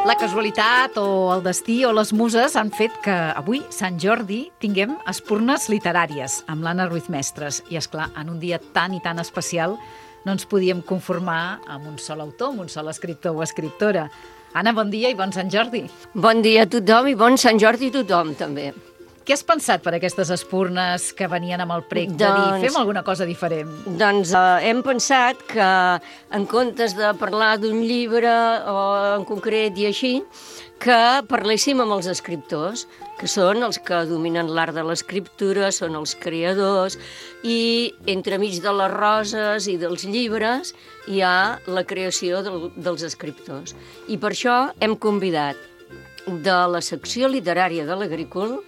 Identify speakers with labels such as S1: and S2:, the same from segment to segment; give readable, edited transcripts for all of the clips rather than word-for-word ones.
S1: La casualitat o el destí o les muses han fet que avui, Sant Jordi, tinguem espurnes literàries amb l'Anna Ruiz Mestres. I, esclar, en un dia tan i tan especial no ens podíem conformar amb un sol autor, amb un sol escriptor o escriptora. Anna, bon dia i bon Sant Jordi.
S2: Bon dia a tothom i bon Sant Jordi a tothom, també.
S1: Què has pensat per aquestes espurnes que venien amb el prec de dir fem alguna cosa diferent?
S2: Doncs hem pensat que en comptes de parlar d'un llibre o en concret i així, que parléssim amb els escriptors, que són els que dominen l'art de l'escriptura, són els creadors, i entremig de les roses i dels llibres hi ha la creació dels escriptors. I per això hem convidat de la secció literària de l'Agrícola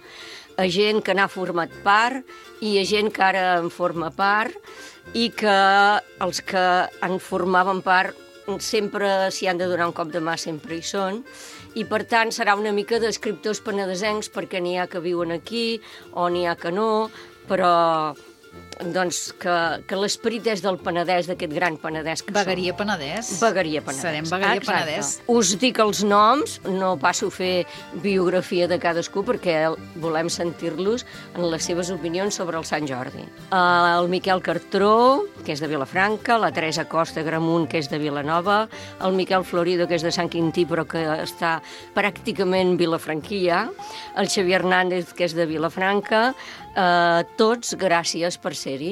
S2: a gent que n'ha format part i a gent que ara en forma part i que els que en formaven part sempre s'hi han de donar un cop de mà, sempre hi són, i per tant serà una mica d'escriptors penedesencs perquè n'hi ha que viuen aquí o n'hi ha que no, però doncs que l'esperit és del Penedès, d'aquest gran Penedès que
S1: Vegueria
S2: som.
S1: Penedès.
S2: Vegueria Penedès.
S1: Serem Vegueria Penedès.
S2: Us dic els noms, no passo a fer biografia de cadascú perquè volem sentir-los en les seves opinions sobre el Sant Jordi. El Miquel Cartró, que és de Vilafranca, la Teresa Costa Gramunt, que és de Vilanova, el Miquel Florido, que és de Sant Quintí, però que està pràcticament vilafranquia, el Xavier Hernández, que és de Vilafranca, tots gràcies per ser-hi.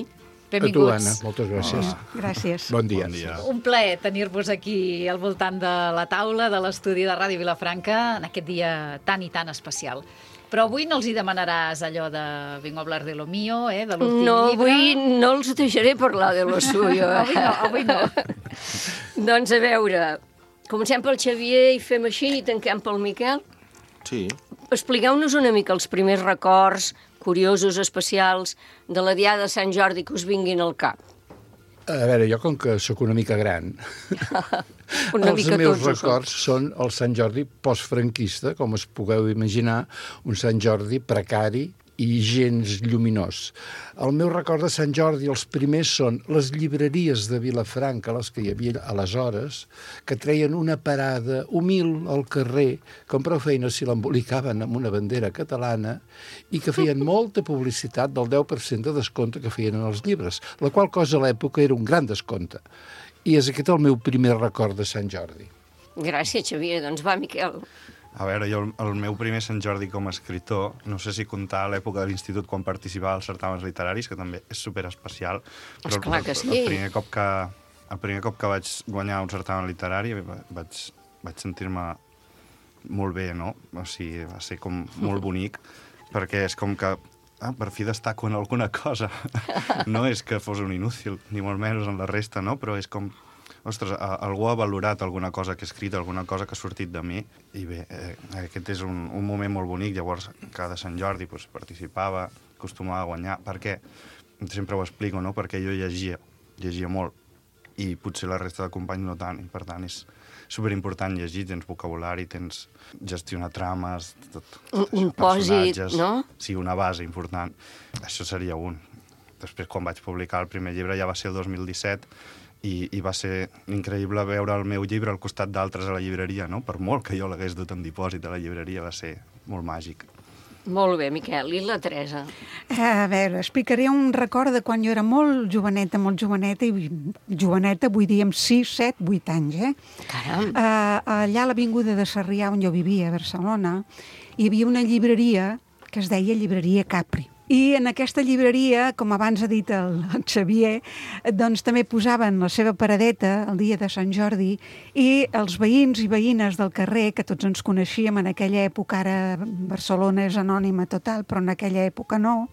S1: Benvinguts.
S3: A tu, Anna, moltes gràcies.
S4: Gràcies.
S3: Bon dia.
S1: Un plaer tenir-vos aquí al voltant de la taula de l'estudi de Ràdio Vilafranca en aquest dia tan i tan especial. Però avui no els hi demanaràs allò de vengo a hablar de lo mío, de l'últim llibre.
S2: No, avui no els deixaré parlar de lo suyo.
S1: Avui no.
S2: Doncs a veure, comencem pel Xavier i fem així i tanquem pel Miquel.
S5: Sí.
S2: Expliqueu-nos una mica els primers records curiosos, especials, de la diada de Sant Jordi que us vinguin al cap.
S3: A veure, jo com que sóc una mica gran, els meus records són el Sant Jordi postfranquista, com es pugueu imaginar, un Sant Jordi precari i gens lluminós. El meu record de Sant Jordi, els primers són les llibreries de Vilafranca, les que hi havia aleshores, que treien una parada humil al carrer, com prou feina si l'embolicaven amb una bandera catalana, i que feien molta publicitat del 10% de descompte que feien en els llibres, la qual cosa a l'època era un gran descompte. I és aquest el meu primer record de Sant Jordi.
S2: Gràcies, Xavier. Doncs va, Miquel.
S5: A veure, jo el meu primer Sant Jordi com a escriptor, no sé si comptar l'època de l'institut quan participava als certàmens literaris, que també és superespecial.
S2: Esclar que sí.
S5: El primer cop que vaig guanyar un certamen literari vaig sentir-me molt bé, no? O sigui, va ser com molt bonic, perquè és com que per fi destaco en alguna cosa. No és que fos un inútil, ni molt menys en la resta, no? Però és com... Ostres, algú ha valorat alguna cosa que he escrit, alguna cosa que ha sortit de mi, i bé, aquest és un moment molt bonic. Llavors, cada Sant Jordi participava, acostumava a guanyar, perquè, sempre ho explico, no?, perquè jo llegia molt, i potser la resta de companys no tant, i per tant és superimportant llegir, tens vocabulari, tens gestionar trames,
S2: un pòsit, no?
S5: Sí, una base important. Això seria un. Després, quan vaig publicar el primer llibre, ja va ser el 2017, i va ser increïble veure el meu llibre al costat d'altres a la llibreria, no? Per molt que jo l'hagués dut en dipòsit a la llibreria, va ser molt màgic.
S2: Molt bé, Miquel. I la Teresa?
S4: A veure, explicaré un record de quan jo era molt joveneta, i joveneta vull dir amb 6, 7, 8 anys,
S2: Caram!
S4: Allà a l'avinguda de Sarrià, on jo vivia, a Barcelona, hi havia una llibreria que es deia Llibreria Capri. I en aquesta llibreria, com abans ha dit el Xavier, doncs també posaven la seva paradeta el dia de Sant Jordi i els veïns i veïnes del carrer, que tots ens coneixíem en aquella època, ara Barcelona és anònima total, però en aquella època no,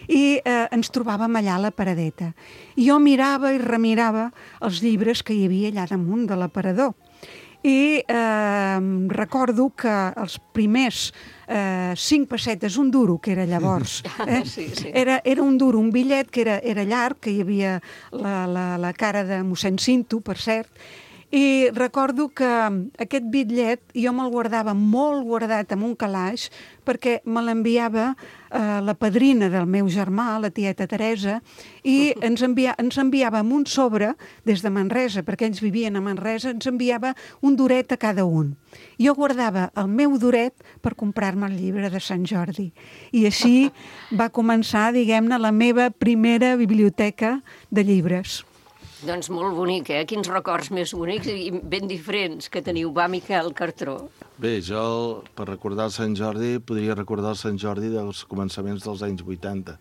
S4: i ens trobàvem allà a la paradeta. I jo mirava i remirava els llibres que hi havia allà damunt de l'aparador. I recordo que els primers 5 pessetes, un duro, que era llavors,
S2: Sí.
S4: era un duro, un bitllet que era llarg, que hi havia la cara de mossèn Cinto, per cert, I recordo que aquest bitllet jo me'l guardava molt guardat en un calaix perquè me l'enviava la padrina del meu germà, la tieta Teresa, i ens enviava amb un sobre des de Manresa, perquè ells vivien a Manresa, ens enviava un duret a cada un. Jo guardava el meu duret per comprar-me el llibre de Sant Jordi. I així va començar, diguem-ne, la meva primera biblioteca de llibres.
S2: Doncs molt bonic, eh? Quins records més bonics i ben diferents que teniu. Va, Miquel Cartró.
S6: Bé, jo, per recordar el Sant Jordi, podria recordar el Sant Jordi dels començaments dels anys 80,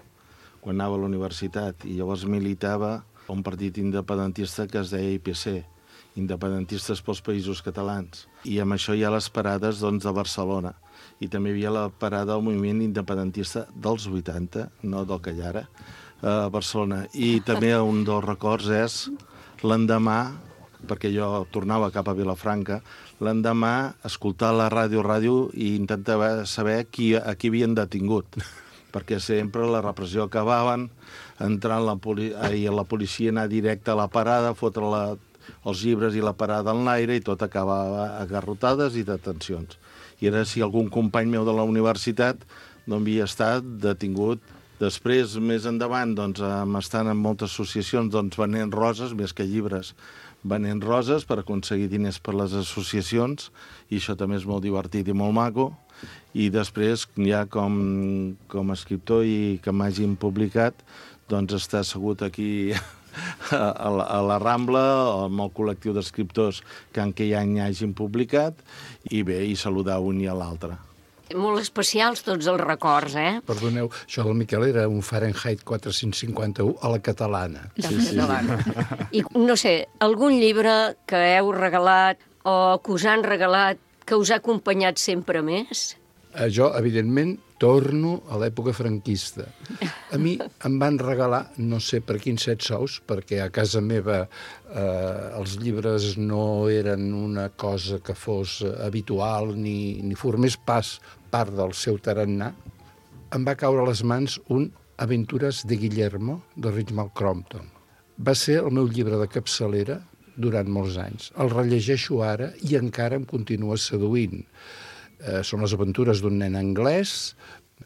S6: quan anava a la universitat, i llavors militava a un partit independentista que es deia IPC, Independentistes pels Països Catalans. I amb això hi ha les parades doncs, de Barcelona. I també hi havia la parada del moviment independentista dels 80, no del que hi ha ara, a Barcelona. I també un dels records és l'endemà, perquè jo tornava cap a Vilafranca, l'endemà escoltar la ràdio i intentava saber a qui havien detingut, perquè sempre la repressió acabaven entrant la policia, anar directe a la parada, fotre els llibres i la parada en l'aire i tot acabava a garrotades i detencions. I era si algun company meu de la universitat no havia estat detingut. Després, més endavant, doncs, estant en moltes associacions doncs, venent roses, més que llibres, venent roses per aconseguir diners per les associacions, i això també és molt divertit i molt maco. I després, ja com a escriptor i que m'hagin publicat, doncs estar assegut aquí a la Rambla, amb el col·lectiu d'escriptors que en aquell any hagin publicat, i bé, i saludar un i a l'altre.
S2: Molt especials tots els records, eh?
S3: Perdoneu, això del Miquel era un Fahrenheit 451 a la catalana.
S2: Sí. I no sé, algun llibre que heu regalat o que us han regalat que us ha acompanyat sempre més?
S3: Jo, evidentment, torno a l'època franquista. A mi em van regalar, no sé per quins 7 sous, perquè a casa meva els llibres no eren una cosa que fos habitual ni formés part del seu tarannà. Em va caure a les mans un Aventures de Guillermo, de Richmal Crompton. Va ser el meu llibre de capçalera durant molts anys. El rellegeixo ara i encara em continua seduint. Són les aventures d'un nen anglès,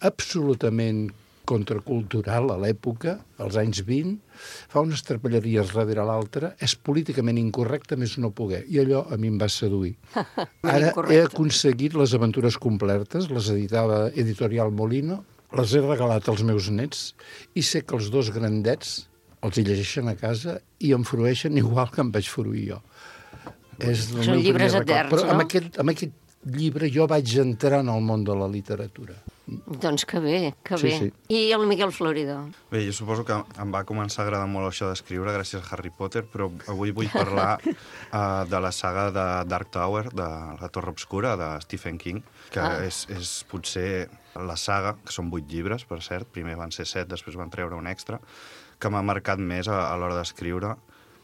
S3: absolutament contracultural a l'època, als anys 20, fa unes trapelleries darrere l'altra, és políticament incorrecte més no poder, i allò a mi em va seduir. Ara he aconseguit les aventures completes, les editava Editorial Molino, les he regalat als meus nets, i sé que els 2 grandets els hi llegeixen a casa i em frueixen igual que em vaig fruir jo.
S2: Són llibres eterns,
S3: però
S2: no?
S3: Amb aquest llibre jo vaig entrar en el món de la literatura.
S2: Doncs que bé, que bé.
S3: Sí.
S2: I el Miquel Floridó?
S5: Bé, jo suposo que em va començar a agradar molt això d'escriure gràcies a Harry Potter, però avui vull parlar de la saga de Dark Tower, de la Torre Obscura, de Stephen King, que és potser la saga, que són 8 llibres, per cert, primer van ser 7, després van treure un extra, que m'ha marcat més a l'hora d'escriure,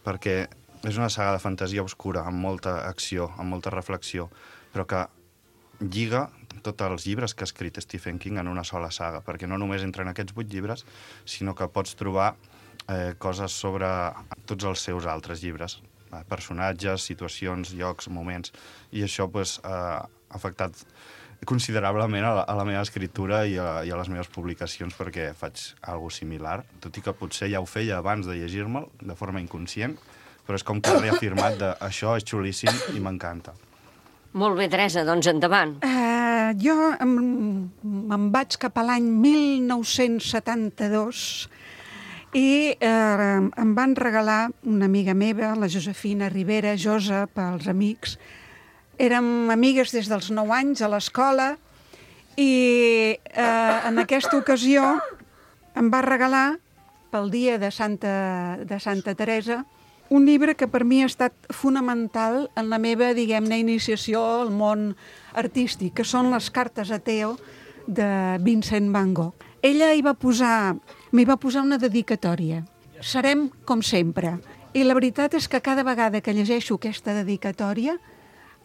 S5: perquè és una saga de fantasia obscura, amb molta acció, amb molta reflexió, però que lliga tots els llibres que ha escrit Stephen King en una sola saga, perquè no només entra en aquests 8 llibres, sinó que pots trobar coses sobre tots els seus altres llibres, personatges, situacions, llocs, moments, i això ha afectat considerablement a la meva escriptura i a les meves publicacions, perquè faig alguna similar, tot i que potser ja ho feia abans de llegir-me'l, de forma inconscient, però és com que he reafirmat de això és xulíssim i m'encanta.
S2: Molt bé, Teresa, doncs endavant.
S4: Jo me'n vaig cap a l'any 1972 i em van regalar una amiga meva, la Josefina Rivera, Josa, pels amics. Érem amigues des dels 9 anys a l'escola i en aquesta ocasió em va regalar, pel dia de Santa Teresa, un llibre que per mi ha estat fonamental en la meva, diguem-ne, iniciació al món artístic, que són les cartes a Theo de Vincent van Gogh. Ella m'hi va posar una dedicatòria. Serem com sempre. I la veritat és que cada vegada que llegeixo aquesta dedicatòria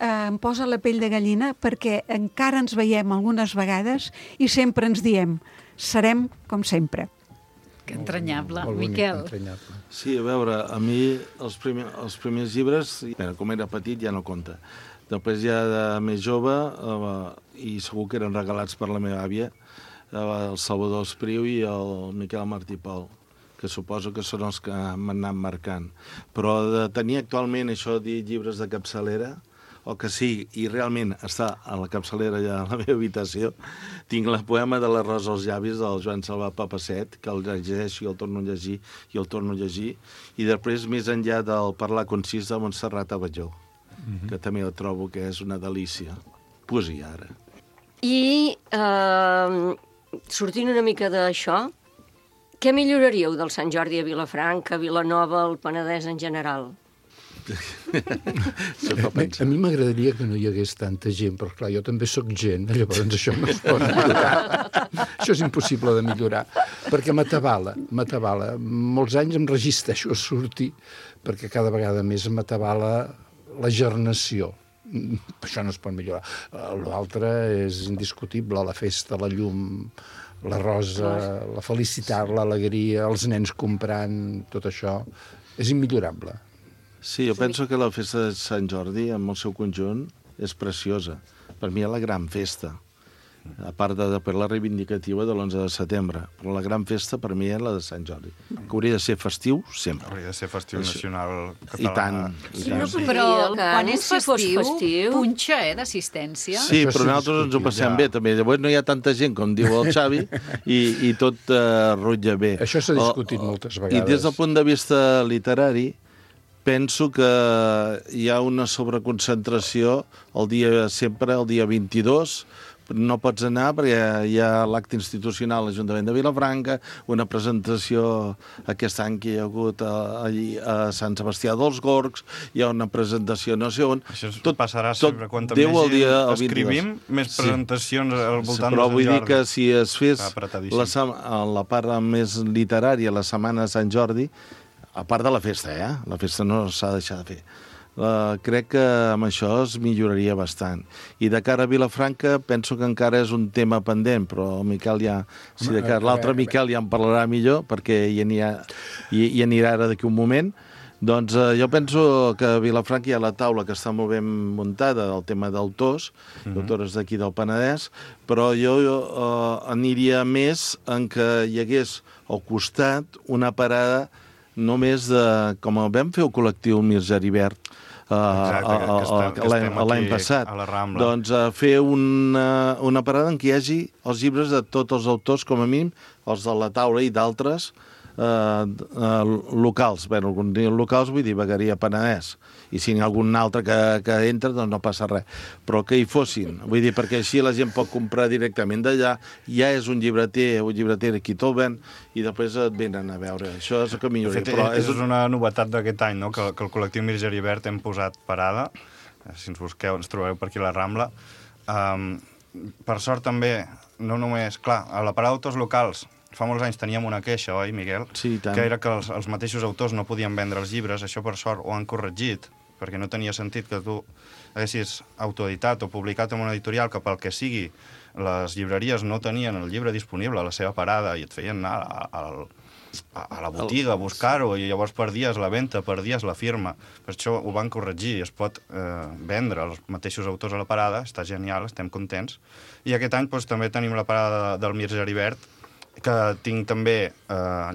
S4: em posa la pell de gallina perquè encara ens veiem algunes vegades i sempre ens diem serem com sempre.
S1: Que entranyable,
S3: molt bonic,
S1: Miquel.
S3: entranyable.
S6: Sí, a veure, a mi els primers llibres, com era petit ja no compta. Després ja de més jove, i segur que eren regalats per la meva àvia, el Salvador Espriu i el Miquel Martí Pol, que suposo que són els que m'han anat marcant. Però de tenir actualment això de dir llibres de capçalera, o que sí, i realment està a la capçalera ja a la meva habitació, tinc el poema de les Roses als llavis del Joan Salvà Papasset, que el llegeixo i el torno a llegir i el torno a llegir, i després més enllà del Parlar concís de Montserrat Abadjó, que també el trobo que és una delícia. Poesia, ara.
S2: I sortint una mica d'això, què milloraríeu del Sant Jordi a Vilafranca, a Vilanova, al Penedès en general?
S3: A mi m'agradaria que no hi hagués tanta gent, però clar, jo també sóc gent, llavors això no es pot millorar. Això és impossible de millorar, perquè m'atabala. Molts anys em resisteixo a sortir, perquè cada vegada més m'atabala la gernació. Això no es pot millorar. L'altre és indiscutible, la festa, la llum, la rosa, la felicitat, l'alegria, els nens comprant, tot això, és immillorable.
S6: Sí, jo penso que la festa de Sant Jordi, en el seu conjunt, és preciosa. Per mi és la gran festa, a part de la reivindicativa de l'11 de setembre. Però la gran festa, per mi, és la de Sant Jordi, que hauria de ser festiu sempre.
S5: Hauria de ser festiu nacional català.
S6: I tant.
S2: Sí, no podria
S1: Però
S2: dir el
S1: quan
S2: cant,
S1: és
S2: si fos
S1: festiu, punxa, d'assistència.
S6: Sí,
S3: Això
S6: però
S3: sí,
S6: nosaltres ens ho passem
S3: ja.
S6: bé, també. Llavors no hi ha tanta gent, com diu el Xavi, i tot rutlla bé.
S3: Això s'ha discutit moltes vegades.
S6: I des del punt de vista literari, penso que hi ha una sobreconcentració sempre el dia 22, no pots anar perquè hi ha l'acte institucional a l'Ajuntament de Vilafranca, una presentació aquest any que hi ha hagut allí a Sant Sebastià dels Gorgs, hi ha una presentació no sé on...
S5: Això passarà sempre. Quanta més gent escrivim, més presentacions al voltant de Sant Jordi.
S6: Però vull dir que si es fes la part més literària, la Setmana de Sant Jordi, a part de la festa, la festa no s'ha de deixar de fer. Crec que amb això es milloraria bastant. I de cara a Vilafranca penso que encara és un tema pendent, però el Miquel ja... Si de cara l'altre Miquel ja en parlarà millor, perquè hi anirà ara d'aquí un moment. Doncs jo penso que a Vilafranca hi ha la taula que està molt ben muntada del tema d'autors, d'autores d'aquí del Penedès, però jo aniria més en que hi hagués al costat una parada només de... Com vam fer el col·lectiu Mir Geribert l'any passat, doncs fer una parada en què hi hagi els llibres de tots els autors, com a mínim, els de la taula i d'altres locals. Bé, algun dia locals vull dir Vegueria Penedès, i si n'hi ha algun altre que entra, doncs no passa res. Però que hi fossin, vull dir, perquè així la gent pot comprar directament d'allà, ja és un llibreter aquí te'l ven, i després et venen a veure. Això és el que milloraria.
S5: Però és una novetat d'aquest any, no? Que el col·lectiu Mir Geribert hem posat parada, si ens busqueu ens trobareu per aquí a la Rambla. Per sort també, no només... Clar, a la parada d'autors locals fa molts anys teníem una queixa, oi, Miquel?
S6: Sí, tant.
S5: Que era que els mateixos autors no podien vendre els llibres. Això, per sort, ho han corregit, perquè no tenia sentit que tu haguessis autoeditat o publicat en una editorial que, pel que sigui, les llibreries no tenien el llibre disponible a la seva parada i et feien anar a la botiga a buscar-ho, i llavors perdies la venda, perdies la firma. Per això ho van corregir, es pot vendre els mateixos autors a la parada, està genial, estem contents. I aquest any doncs, també tenim la parada del Mir Geribert, que tinc també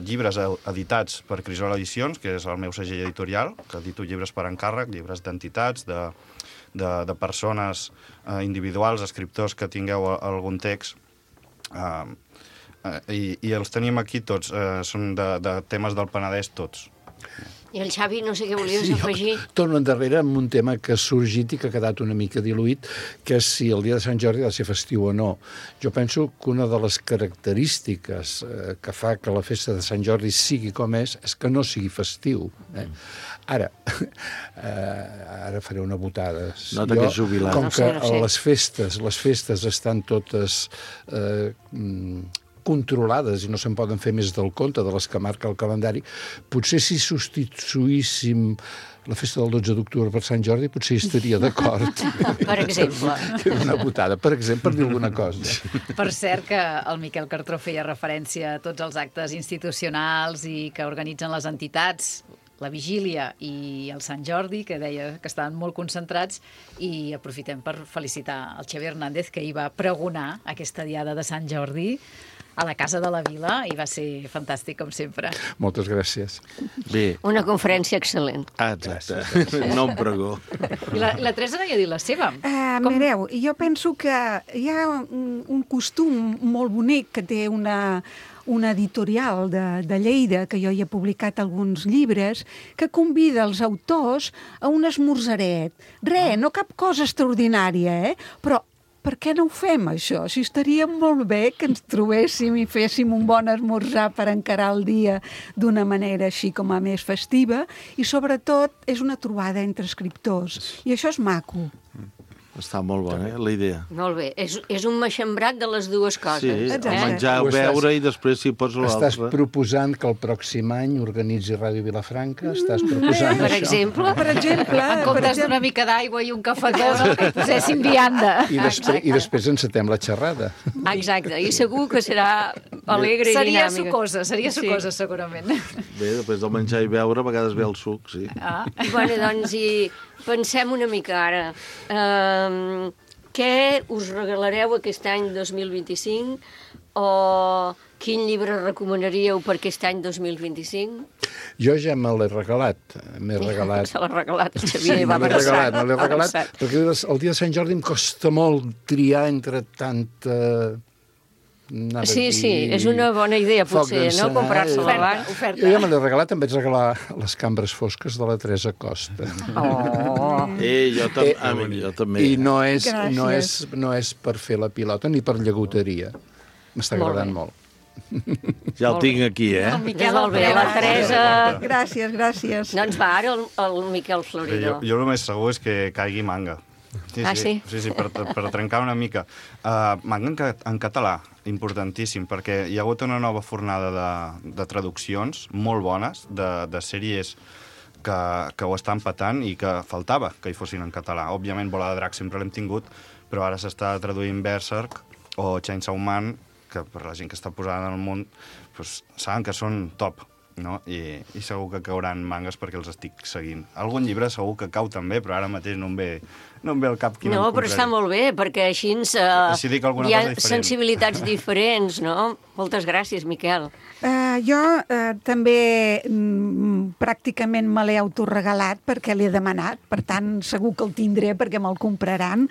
S5: llibres editats per Crisol Edicions, que és el meu segell editorial, que edito llibres per encàrrec, llibres d'entitats, de persones individuals, escriptors que tingueu algun text, i els tenim aquí tots, són de temes del Penedès tots.
S2: I el Xavi, no sé què volies afegir.
S3: Torno endarrere amb un tema que ha sorgit i que ha quedat una mica diluït, que és si el dia de Sant Jordi ha de ser festiu o no. Jo penso que una de les característiques que fa que la festa de Sant Jordi sigui com és que no sigui festiu. Ara faré una botada.
S6: Nota que és jubilat.
S3: Com que les festes estan totes controlades i no se'n poden fer més del compte de les que marca el calendari, potser si substituíssim la festa del 12 d'octubre per Sant Jordi, potser hi estaria d'acord.
S2: Per exemple.
S3: Una putada, per exemple, per dir alguna cosa.
S1: Per cert que el Miquel Cartró feia referència a tots els actes institucionals i que organitzen les entitats, la Vigília i el Sant Jordi, que deia que estaven molt concentrats, i aprofitem per felicitar el Xavi Hernández, que hi va pregonar aquesta diada de Sant Jordi a la Casa de la Vila, i va ser fantàstic, com sempre.
S3: Moltes gràcies.
S6: Bé.
S2: Una conferència excel·lent.
S6: Exacte. No em pregó.
S1: I la Teresa no hi ha dit la seva.
S4: Mireu, jo penso que hi ha un costum molt bonic que té una editorial de Lleida, que jo hi he publicat alguns llibres, que convida els autors a un esmorzaret. No cap cosa extraordinària, però per què no ho fem, això? Si estaria molt bé que ens trobéssim i féssim un bon esmorzar per encarar el dia d'una manera així com a més festiva, i sobretot és una trobada entre escriptors, i això és maco.
S6: Està molt bona, la idea.
S2: Molt bé. És un maxembrat de les dues coses.
S6: Sí, menjar, beure i després si pots l'altre.
S3: Estàs proposant que el pròxim any organitzi Ràdio Vilafranca? Estàs proposant
S2: Per
S3: això?
S2: exemple?
S4: Per exemple...
S1: En comptes d'una mica d'aigua i un cafetó, que posessin vianda.
S3: I després encetem la xerrada.
S2: Exacte, i segur que serà alegre i
S1: Seria
S2: dinàmica.
S1: seria sucosa, segurament.
S6: Bé, després del menjar i beure, a vegades ve el suc, sí.
S2: Bueno, doncs, i pensem una mica ara. Què us regalareu aquest any 2025? O quin llibre recomanaríeu per aquest any 2025?
S3: Jo ja me l'he regalat. M'he regalat...
S2: Se l'ha regalat el
S3: Sí,
S2: Xavier,
S3: me l'he regalat, perquè el dia de Sant Jordi em costa molt triar entre tanta...
S2: Sí, és una bona idea, potser, no? Comprar-se-la abans.
S3: Jo ja me l'he regalat, em vaig regalar Les cambres fosques de la Teresa Costa.
S6: Jo també.
S3: I no és per fer la pilota ni per llagoteria. M'està agradant molt.
S6: Ja el tinc aquí,
S1: El Miquel
S2: Molt bé, la Teresa...
S4: Gràcies.
S2: Doncs va, ara el Miquel Floridor.
S5: Jo el més segur és que caigui manga. Sí, per trencar una mica. Manga en català, importantíssim, perquè hi ha hagut una nova fornada de traduccions molt bones, de sèries que ho estan patant i que faltava que hi fossin en català. Òbviament, Bola de Drac sempre l'hem tingut, però ara s'està traduint Berserk o Chainsaw Man, que per la gent que està posada en el món doncs, saben que són top, no? I segur que cauran mangas perquè els estic seguint. Algun llibre segur que cau també, però ara mateix no em ve al cap quin
S2: No, però està molt bé, perquè així hi ha sensibilitats diferents, no? Moltes gràcies, Miquel.
S4: Jo també pràcticament me l'he autoregalat perquè l'he demanat, per tant segur que el tindré perquè me'l compraran.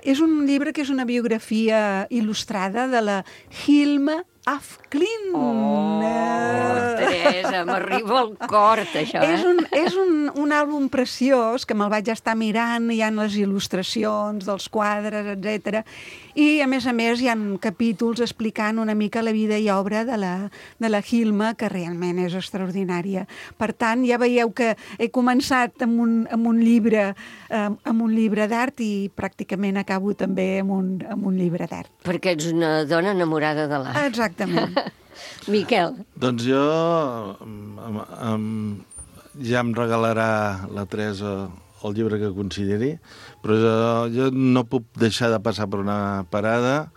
S4: És un llibre que és una biografia il·lustrada de la Hilma af Klint.
S2: Teresa, m'arriba al cor, això,
S4: És un àlbum preciós que me'l vaig estar mirant, hi ha les il·lustracions dels quadres, etc. I, a més, hi ha capítols explicant una mica la vida i obra de la Hilma, que realment és extraordinària. Per tant, ja veieu que he començat amb un llibre d'art i pràcticament acabo també amb un llibre d'art.
S2: Perquè ets una dona enamorada de l'art.
S4: Exactament.
S2: Miquel.
S6: Doncs jo ja em regalarà la Teresa el llibre que consideri, però jo no puc deixar de passar per una parada,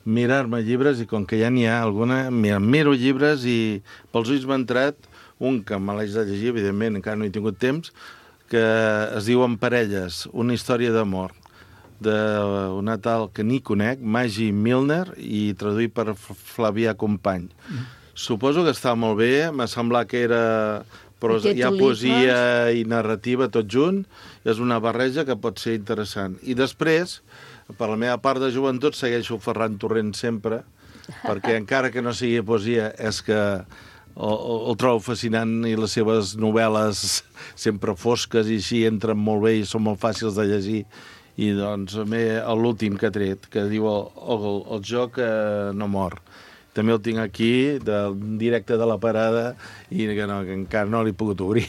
S6: mirar-me llibres, i com que ja n'hi ha alguna, miro llibres i pels ulls m'ha entrat un que me l'haig de llegir, evidentment, encara no he tingut temps, que es diu En parelles, una història d'amor, d'una tal que ni conec, Maggie Milner, i traduït per Flavià Company. Suposo que està molt bé, m'ha semblat que era... Però hi ha poesia i narrativa tot junt, és una barreja que pot ser interessant. I després, per la meva part de joventut, segueixo Ferran Torrent sempre, perquè encara que no sigui poesia, és que el trobo fascinant i les seves novel·les sempre fosques i així entren molt bé i són molt fàcils de llegir. I doncs l'últim que ha tret, que diu el joc no mor. També el tinc aquí, directe de la parada, i que encara no l'he pogut obrir.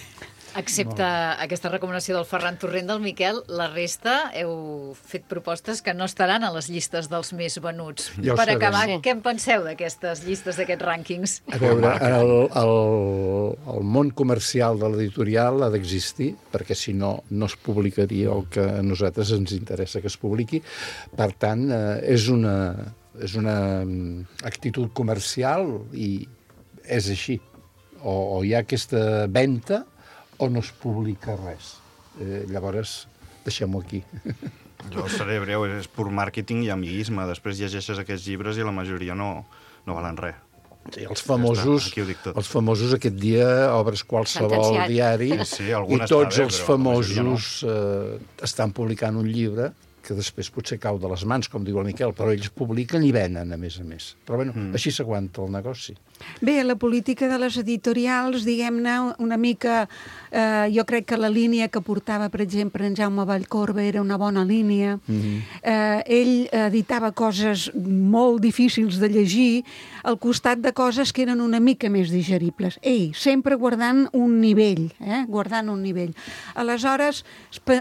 S1: Excepte aquesta recomanació del Ferran Torrent, del Miquel, la resta heu fet propostes que no estaran a les llistes dels més venuts.
S3: Ja ho
S1: Per
S3: sabem.
S1: acabar,
S2: Sí.
S1: què en penseu d'aquestes llistes, d'aquests rànquings?
S3: A veure, el món comercial de l'editorial ha d'existir, perquè si no, no es publicaria el que a nosaltres ens interessa que es publiqui. Per tant, és una actitud comercial i és així. O hi ha aquesta venda o no es publica res. Llavors, deixem-ho aquí.
S5: Jo seré breu, és pur màrqueting i amiguisme. Després llegeixes aquests llibres i la majoria no valen res.
S3: Sí, els famosos,
S5: aquí ho dic tot.
S3: els famosos aquest dia obres qualsevol
S2: Sentenciat.
S3: diari
S5: Sí,
S3: i
S5: algun està
S3: tots
S5: bé,
S3: els
S5: però la majoria
S3: famosos estan publicant un llibre que després potser cau de les mans, com diu el Miquel, però ells publiquen i venen, a més. Però bueno, així s'aguanta el negoci.
S4: Bé, la política de les editorials, diguem-ne, una mica... jo crec que la línia que portava, per exemple, en Jaume Vallcorba era una bona línia. Ell editava coses molt difícils de llegir al costat de coses que eren una mica més digeribles. Ell, sempre guardant un nivell, guardant un nivell. Aleshores,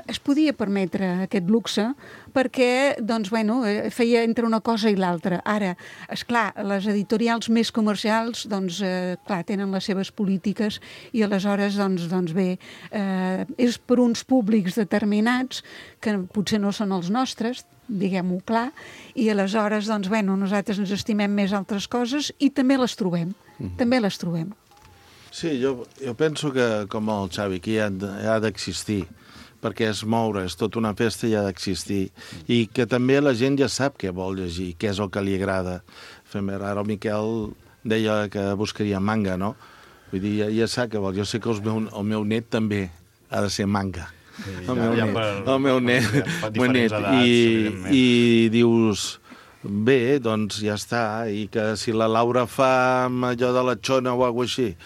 S4: es podia permetre aquest luxe perquè, doncs, bueno, feia entre una cosa i l'altra. Ara, esclar, les editorials més comercials, doncs, clar, tenen les seves polítiques i aleshores, doncs bé, és per uns públics determinats que potser no són els nostres, diguem-ho clar, i aleshores, doncs, bueno, nosaltres ens estimem més altres coses i també les trobem, també les trobem.
S6: Sí, jo penso que, com el Xavi, que ha d'existir, perquè és moure, és tota una festa i ha d'existir. I que també la gent ja sap què vol llegir, què és el que li agrada. Ara el Miquel deia que buscaria manga, no? Vull dir, ja sap què vol. Jo sé que el meu net també ha de ser manga. El meu net. I dius... Bé, doncs ja està, i que si la Laura fa amb allò de la xona o alguna cosa així,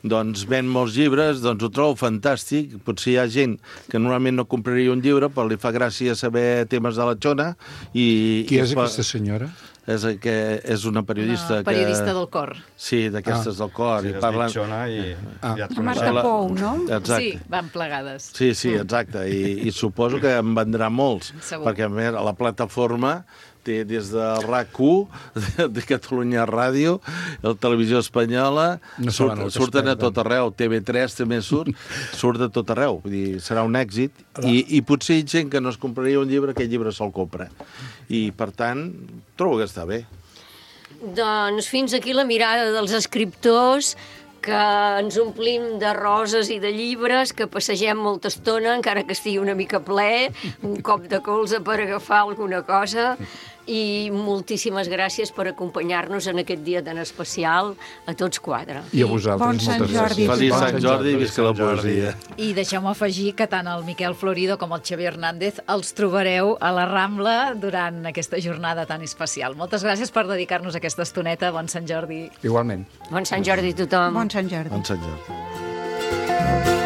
S6: doncs ven molts llibres, doncs ho trobo fantàstic. Potser hi ha gent que normalment no compraria un llibre, però li fa gràcia saber temes de la xona.
S3: Qui és aquesta senyora?
S6: És una periodista
S1: Una periodista del cor.
S6: Sí, d'aquestes del cor.
S5: Sí,
S6: I
S5: es
S6: parlen...
S5: dic Xona i ja et
S4: Marta
S5: coneixes.
S4: Pou, no?
S6: Exacte.
S1: Sí, van plegades.
S6: Sí, exacte. I suposo que en vendrà molts.
S1: Segur.
S6: Perquè, a més, a la plataforma té des de RAC1, de Catalunya Ràdio, la televisió espanyola,
S3: No saben el que
S6: surten a
S3: es perden.
S6: tot arreu, TV3 també surt de tot arreu. Vull dir, serà un èxit. I potser gent que no es compraria un llibre, aquest llibre se'l compra. I, per tant, trobo que està bé.
S2: Doncs fins aquí la mirada dels escriptors, que ens omplim de roses i de llibres, que passegem molta estona, encara que estigui una mica ple, un cop de colze per agafar alguna cosa, i moltíssimes gràcies per acompanyar-nos en aquest dia tan especial a tots quatre.
S3: I a vosaltres,
S4: Bon Sant
S3: moltes
S4: Jordi.
S3: gràcies.
S6: Feliç
S3: Bon
S6: Sant Jordi i visca la poesia.
S1: I deixeu-me afegir que tant el Miquel Florido com el Xavier Hernández els trobareu a la Rambla durant aquesta jornada tan especial. Moltes gràcies per dedicar-nos aquesta estoneta. Bon Sant Jordi.
S3: Igualment.
S2: Bon Sant Jordi a tothom.
S4: Bon Sant Jordi.
S6: Bon Sant Jordi.